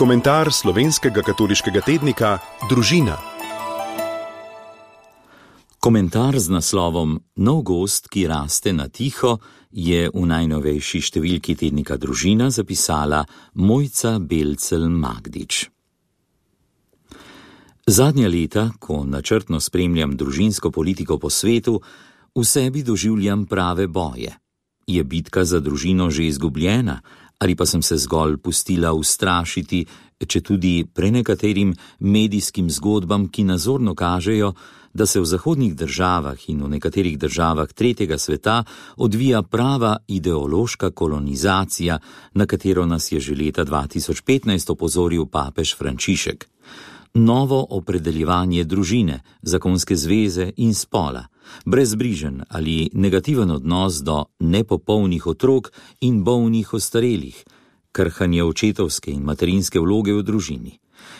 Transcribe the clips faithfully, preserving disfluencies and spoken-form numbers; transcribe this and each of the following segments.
Komentar slovenskega katoliškega tednika Družina. Komentar z naslovom Nov gozd, ki raste na tiho, je v najnovejši številki tednika Družina zapisala Mojca Belcelj-Magdič. Zadnja leta, ko načrtno spremljam družinsko politiko po svetu, v sebi doživljam prave boje. Je bitka za družino že izgubljena, ali pa sem se zgolj pustila ustrašiti, četudi prenekaterim medijskim zgodbam, ki nazorno kažejo, da se v zahodnih državah in v nekaterih državah tretjega sveta odvija prava ideološka kolonizacija, na katero nas je že leta dva tisoč petnajst opozoril papež Frančišek. Novo opredeljevanje družine, zakonske zveze in spola, brezbrižen ali negativen odnos do nepopolnih otrok in bolnih ostarelih, krhanje očetovske in materinske vloge v družini,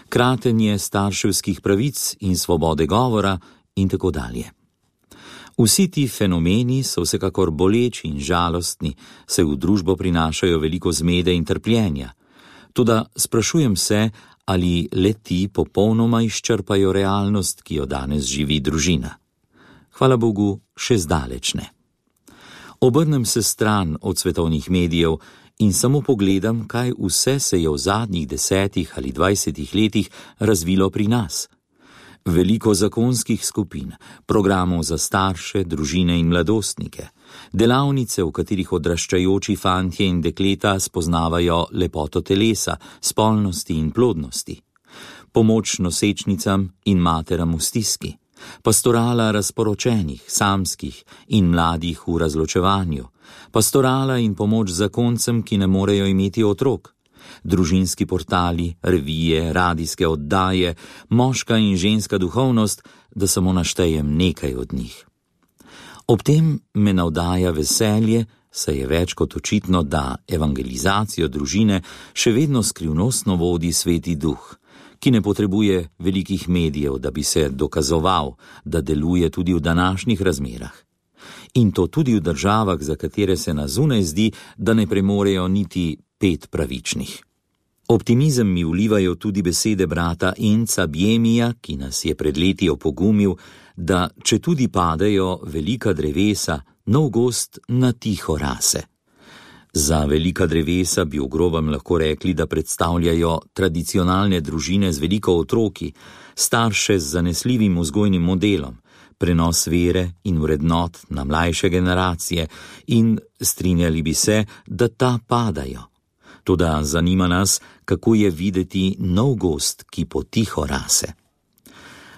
kratenje starševskih pravic in svobode govora in tako dalje. Vsi ti fenomeni so vsekakor boleči in žalostni, saj v družbo prinašajo veliko zmede in trpljenja. Toda sprašujem se, ali le-ti popolnoma izčrpajo realnost, ki jo danes živi družina. Hvala Bogu, še zdaleč ne. Obrnem se stran od svetovnih medijev in samo pogledam, kaj vse se je v zadnjih desetih ali dvajsetih letih razvilo pri nas. Veliko zakonskih skupin, programov za starše, družine in mladostnike, delavnice, v katerih odraščajoči fantje in dekleta spoznavajo lepoto telesa, spolnosti in plodnosti, pomoč nosečnicam in materam v stiski, pastorala razporočenih, samskih in mladih v razločevanju, pastorala in pomoč zakoncem, ki ne morejo imeti otrok, družinski portali, revije, radijske oddaje, moška in ženska duhovnost, da samo naštejem nekaj od njih. Ob tem me navdaja veselje, saj je več kot očitno, da evangelizacijo družine še vedno skrivnostno vodi Sveti Duh, ki ne potrebuje velikih medijev, da bi se dokazoval, da deluje tudi v današnjih razmerah. In to tudi v državah, za katere se na zunaj zdi, da ne premorejo niti pet pravičnih. Optimizem mi vlivajo tudi besede brata Enca Bjemija, ki nas je pred leti opogumil, da četudi padejo velika drevesa, nov gozd na tiho rase. Za velika drevesa bi v grobem lahko rekli, da predstavljajo tradicionalne družine z veliko otroki, starše z zanesljivim vzgojnim modelom, prenos vere in vrednot na mlajše generacije in strinjali bi se, da ta padajo. Toda zanima nas, kako je videti nov gozd, ki potiho rase.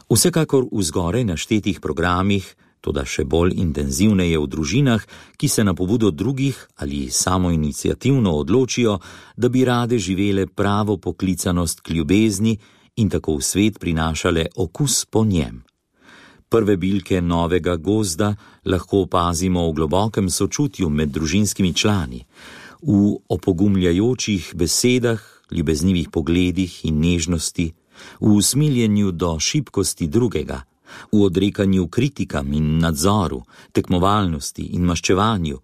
Vsekakor v zgoraj naštetih programih, toda še bolj intenzivneje v družinah, ki se na pobudo drugih ali samoiniciativno odločijo, da bi rade živele pravo poklicanost k ljubezni in tako v svet prinašale okus po njem. Prve bilke novega gozda lahko opazimo v globokem sočutju med družinskimi člani, v opogumljajočih besedah, ljubeznivih pogledih in nežnosti, v usmiljenju do šibkosti drugega, v odrekanju kritikam in nadzoru, tekmovalnosti in maščevanju,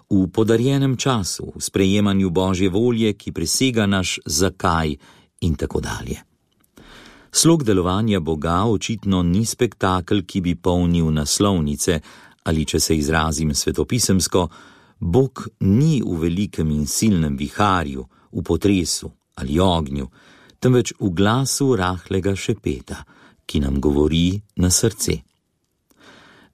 v podarjenem času, v sprejemanju Božje volje, ki presega naš zakaj in tako dalje. Slog delovanja Boga očitno ni spektakel, ki bi polnil naslovnice, ali če se izrazim svetopisemsko, Bog ni v velikem in silnem viharju, v potresu ali ognju, temveč v glasu rahlega šepeta, ki nam govori na srce.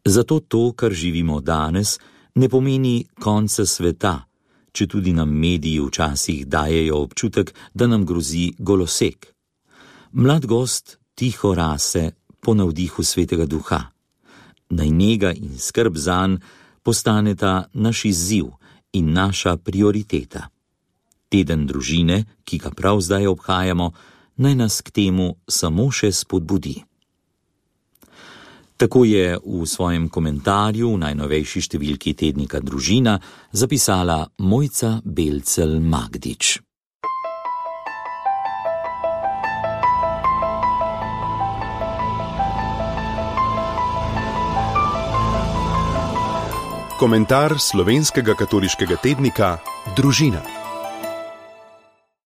Zato to, kar živimo danes, ne pomeni konca sveta, četudi nam mediji včasih dajejo občutek, da nam grozi golosek. Mlad gozd tiho rase po navdihu Svetega Duha. Naj njega in skrb zanj postaneta naš izziv in naša prioriteta. Teden družine, ki ga prav zdaj obhajamo, naj nas k temu samo še spodbudi. Tako je v svojem komentarju v najnovejši številki tednika Družina zapisala Mojca Belcelj-Magdič. Komentar slovenskega katoliškega tednika Družina.